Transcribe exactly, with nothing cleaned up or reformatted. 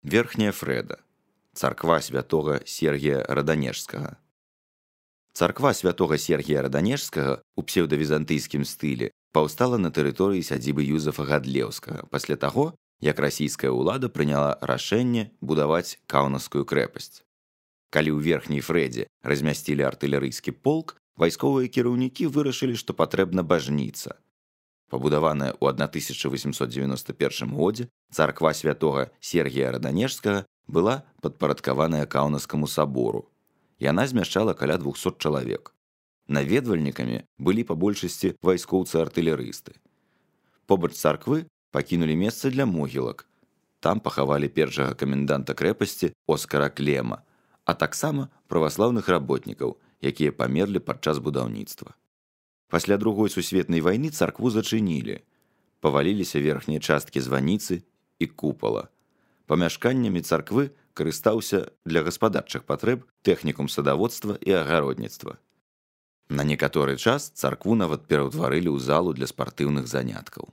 Верхняя Фрэда. Царква святога Сергія Раданежскага. Царква святога Сергія Раданежскага ў псеўдавізантыйскім стылі паўстала на тэрыторыі сядзібы Юзафа Гадлеўскага пасля таго, як расійская ўлада прыняла рашэнне будаваць Каўнаўскую крэпасць. Калі ў верхняй Фрэдзе размясцілі артылерыйскі полк, вайсковыя кіраўнікі вырашылі, што патрэбна бажніца. Пабудаваная ў тысяча восемьсот девяносто першым годзе, царква святога Сергія Раданежскага была падпарадкаваная Каўнаўскаму сабору. Яна змяшчала каля двухсот чалавек. Наведвальнікамі былі па большасці вайскоўцы-артылерысты. Побач царквы пакінулі месца для могілак. Там пахавалі першага каменданта крэпасці Оскара Клема, а таксама праваслаўных работнікаў, якія памерлі падчас будаўніцтва. Пасля другой сусветнай вайны царкву зачынілі. Паваліліся верхнія часткі званіцы і купала. Памяшканнямі царквы карыстаўся для гаспадарчых патрэб тэхнікум садаводства і агародніцтва. На некаторы час царкву нават пераўтварылі ў залу для спартыўных заняткаў.